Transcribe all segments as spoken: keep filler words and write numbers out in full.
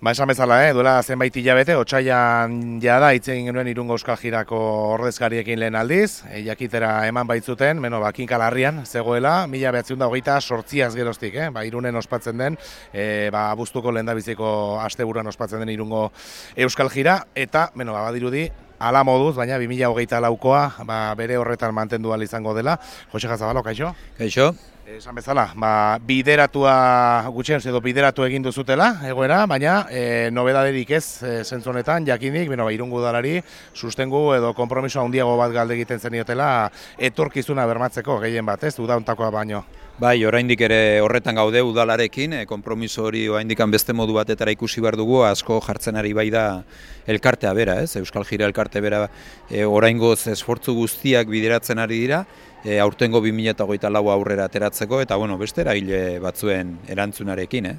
Ba, esan bezala, eh? duela zenbait hilabete, otsailean jada hitz egin genuen Irungo Euskal Jirako ordezkariekin lehen aldiz, e, jakitera eman baitzuten, beno, ba, kinkalarrian zegoela, mila behatziehun eta hogeita sortziaz geroztik, eh? ba, Irunen ospatzen den, e, ba, abuztuko lehendabiziko asteburuan ospatzen den Irungo Euskal Jira, eta, beno, ba, badirudi, ala moduz, baina bi mila hogeita laukoa ba, bere horretan mantendu ahal izango dela. Jose Jazabalo, kaixo? Kaixo. Esan bezala, ba, bideratua gutxien edo bideratu egin duzutela, egoera, baina e, nobedaderik ez e, zentzu honetan, jakinik, beno, ba, Irungo udalari sustengu edo konpromiso handiago bat galde egiten zeniotela etorkizuna bermatzeko gehien bat, ez, udauntakoa baino. Bai, oraindik ere horretan gaude udalarekin, e, konpromiso hori oraindikan beste modu batetara ikusi behar dugu, asko jartzen ari bai da elkartea bera, ez, Euskal Jira elkarte bera e, oraingoz esfortzu guztiak bideratzen ari dira, E, aurtengo bi mila hogeita lau aurrera ateratzeko, eta bueno, beste eragile batzuen erantzunarekin. Eh?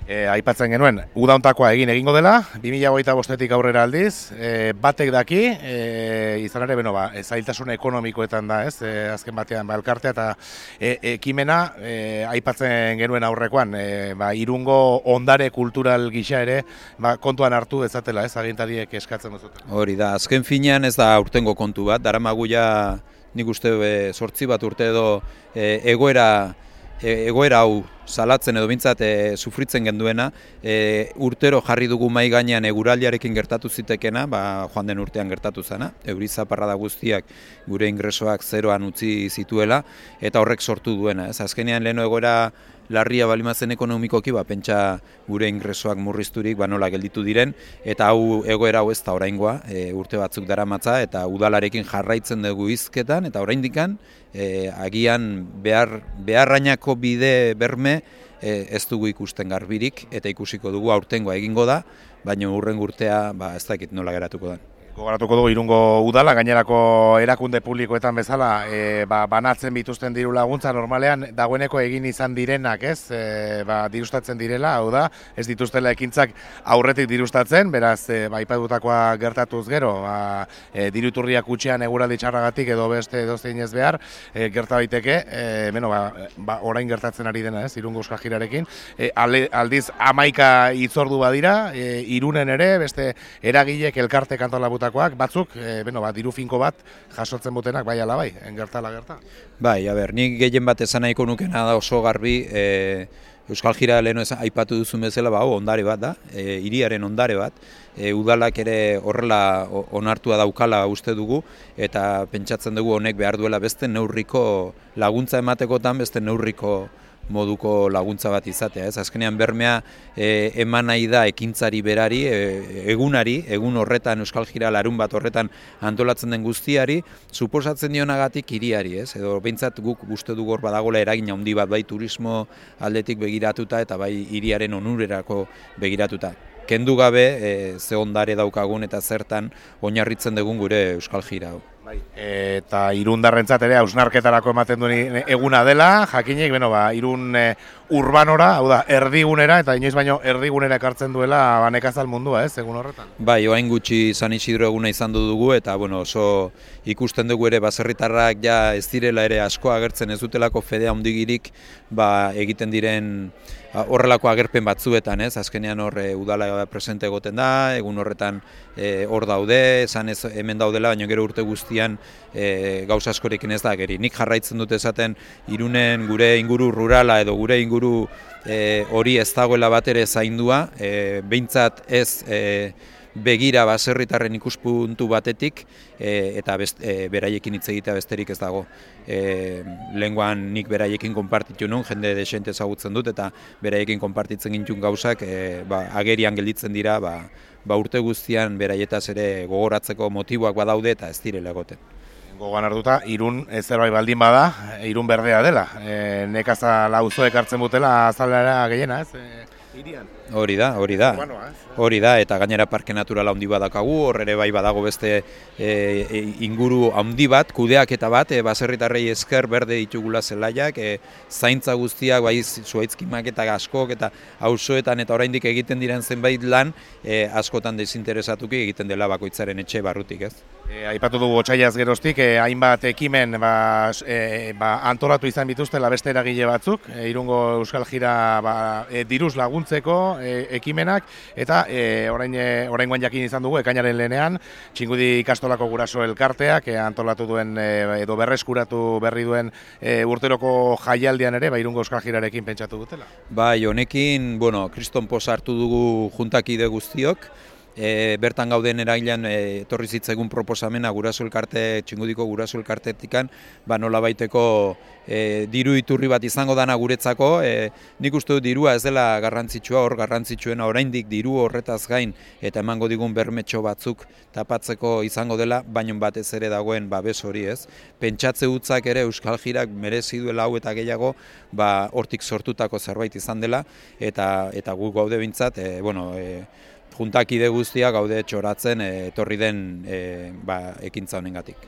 E, aipatzen genuen, udauntakoa egin egingo dela, bi mila hogeita bostetik aurrera aldiz, e, batek daki, e, izan ere, beno, ba, zailtasun ekonomikoetan da, ez, e, azken batean, ba, elkartea eta e, ekimena, e, aipatzen genuen aurrekoan, e, ba, Irungo ondare kultural gisa ere, ba, kontuan hartu dezatela, ez, agintariek eskatzen duzuten. Hori da, azken finean ez da aurtengo kontu bat, daramagu ja, nik uste sortzi bat urte edo e, egoera, e, egoera hau salatzen edo bintzat e, sufritzen genduena, e, urtero jarri dugu mai gainean eguraldiarekin gertatu zitekena, ba, joan den urtean gertatu zena, euri zaparrada guztiak gure ingresoak zeroan utzi zituela, eta horrek sortu duena. Ez? Azkenean leheno egoera larria balimazen ekonomikoki, ba, pentsa gure ingresoak murrizturik ba, nola gelditu diren, eta hau egoera hau ez da oraingoa, e, urte batzuk daramatza, eta udalarekin jarraitzen dugu hizketan, eta oraindikan e, agian behar, beharrainako bide berme e, ez dugu ikusten garbirik, eta ikusiko dugu aurtengoa egingo da, baina hurrengo urtea ba, ez dakit nola geratuko da. Gogoratuko dugu Irungo udala, gainerako erakunde publikoetan bezala, e, ba, banatzen bituzten diru laguntza normalean dagoeneko egin izan direnak, ez? E, ba, dirustatzen direla, hau da, ez dituztela ekintzak aurretik dirustatzen, beraz, e, ba, aipatutakoa gertatuz gero, ba, e, diruturriak utxean eguraldi txarragatik edo beste edozein ez behar, e, gerta daiteke, e, beno, ba, ba, orain gertatzen ari dena, ez? Irungo Euskal Jirarekin, e, aldiz hamaika hitzordu badira, e, Irunen ere, beste eragilek elkarte kantolabut batzuk, e, beno, ba, diru finko bat jasotzen butenak bai ala bai, engertala gerta. Bai, a ber, nik gehien bat esan nahiko nukena da oso garbi, e, Euskal Jira leheno aipatu duzun bezala, ba, ondare bat da, e, hiriaren ondare bat, e, udalak ere horrela onartua daukala uste dugu, eta pentsatzen dugu honek behar duela beste neurriko laguntza ematekotan, beste neurriko moduko laguntza bat izatea, ez? Azkenean bermea e, eman nahi da ekintzari berari, e, egunari, egun horretan Euskal Jira larun bat horretan antolatzen den guztiari, suposatzen dionagatik hiriari, ez? Edo behintzat guk uste dugu hor badagola eragin handi bat bai turismo aldetik begiratuta eta bai hiriaren onurerako begiratuta. Kendu gabe e, ze ondare daukagun eta zertan oinarritzen dugun gure Euskal Jira hau. Bai. Eta irundarrentzat ere hausnarketarako ematen duen eguna dela, jakinik, beno, ba, Irun e, urbanora, hau da, erdigunera, eta inoiz baino erdigunera ekartzen duela ba, nekazal mundua, ez, egun horretan? Bai, oain gutxi San Isidro eguna izan dugu, eta bueno, oso ikusten dugu ere baserritarrak ja ez direla ere asko agertzen, ez dutelako fedea handigirik ba, egiten diren horrelako agerpen batzuetan, ez? Azkenean hor e, udala presente egoten da, egun horretan e, hor daude, esan ez hemen daudela, baina gero urte guztian e, gauza askorekin ez da geri. Nik jarraitzen dut esaten Irunen gure inguru rurala edo gure inguru e, hori ez dagoela bat ere zaindua, e, behintzat ez e, begira baserritarren ikuspuntu batetik e, eta best, e, beraiekin hitz egitea besterik ez dago. E, Lenguan nik beraiekin konpartitu nun, jende desente ezagutzen dut eta beraiekin konpartitzen gintun gauzak e, ba, agerian gelditzen dira ba, ba urte guztian beraietaz ere gogoratzeko motiboak badaude eta ez direla egoten. Gogoan hartuta, Irun ez zerbait baldin bada, Irun berdea dela. E, nekazal auzoek hartzen butela azalera gehiena, ez? E, irian. Hori da, hori da. Hori da, eta gainera parke naturala handi bat dakagu, hor ere bai badago beste e, inguru handi bat, kudeaketa bat, e, baserritarrei esker berde ditugula zelaiak, e, zaintza guztiak, bai zuaitzkimak eta askok eta auzoetan eta oraindik egiten diren zenbait lan, e, askotan desinteresatuki egiten dela bakoitzaren etxe barrutik, ez? E, aipatu dugu otsaiaz geroztik, e, hainbat ekimen ba, e, ba, antolatu izan bituztela beste eragile batzuk, e, Irungo Euskal Jira ba, e, diruz laguntzeko, e, ekimenak, eta e, orain, e, oraingoan jakin izan dugu, ekainaren lehenean, Txingudi ikastolako guraso elkarteak e, antolatu duen e, edo berreskuratu berri duen e, urteroko jaialdian ere, ba, Irungo Euskal Jirarekin pentsatu dutela. Bai, honekin, bueno, kriston poz hartu dugu juntakide guztiok, E, bertan gauden erailan e, etorri zitzegun proposamena guraso elkarte, Txingudiko guraso elkartetikan, ba nola baiteko e, diru iturri bat izango dana guretzako, e, nik uste dut dirua ez dela garrantzitsua, hor garrantzitsuena oraindik diru horretaz gain eta emango digun bermetxo batzuk tapatzeko izango dela, baino batez ere dagoen babes hori, ez. Pentsatze hutzak ere Euskal Jirak merezi duela hau eta gehiago, ba hortik sortutako zerbait izan dela, eta eta gu gaude behintzat, e, bueno, e, juntakide guztia gaude txoratzen e, etorri den e, ba, ekintza honengatik.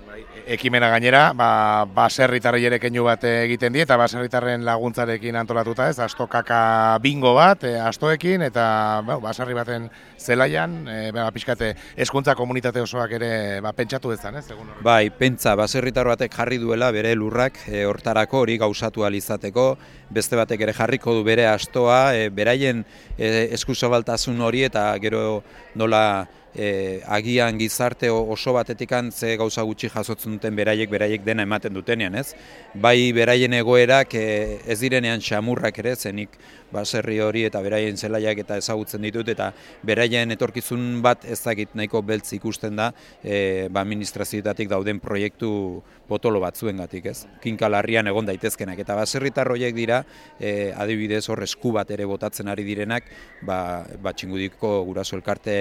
Ekimena gainera, ba, baserritarrei ere keinu bat egiten die, eta baserritarren laguntzarekin antolatuta ez, astokaka bingo bat, e, astoekin, eta ba, baserri baten zelaian, e, ba, pixkate hezkuntza komunitate osoak ere ba, pentsatu dezan, ez? Egun horretan. Bai, pentsa, baserritar batek jarri duela bere lurrak e, hortarako hori gauzatu ahal izateko, beste batek ere jarriko du bere astoa, e, beraien e, eskuzabaltasun hori eta gero nola E, agian gizarte oso batetikan ze gauza gutxi jasotzen duten beraiek beraiek dena ematen dutenean, ez? Bai beraien egoerak e, ez direnean xamurrak ere, zenik baserri hori eta beraien zelaiak eta ezagutzen ditut, eta beraien etorkizun bat ez dakit nahiko beltz ikusten da e, ba, administrazioetatik dauden proiektu potolo batzuengatik, ez? Kinka larrian egon daitezkenak, eta baserritar horiek dira e, adibidez hor esku bat ere botatzen ari direnak, ba, ba Txingudiko guraso elkarte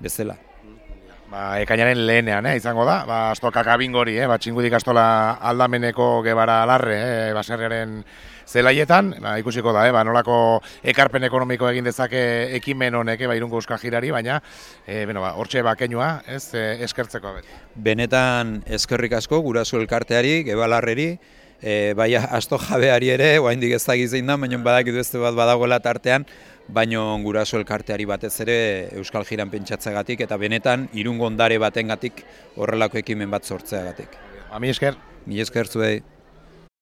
bezala. Ba, ekainaren lehenean, eh, izango da, ba, astokaka bingori, eh, ba, Txingudi ikastola aldameneko Gebara Alarre, eh, baserriaren zelaietan, ba, ikusiko da, eh, ba, nolako ekarpen ekonomiko egin dezake ekimen honek, eh, ba, Irungo Euskal Jirari, baina, eh, bueno, ba, hortxe bakeinua, ez, eh, eskertzeko. Bet. Benetan eskerrik asko guraso elkarteari, Gebalarreri, e, bai asto jabeari ere, oraindik ez dakiz zein da, baina badakitu beste bat badagoela tartean, baino guraso elkarteari batez ere Euskal Jiran pentsatzeagatik eta benetan Irungo ondare batengatik horrelako ekimen bat sortzeagatik. Ba, mi esker. Mi esker zuei.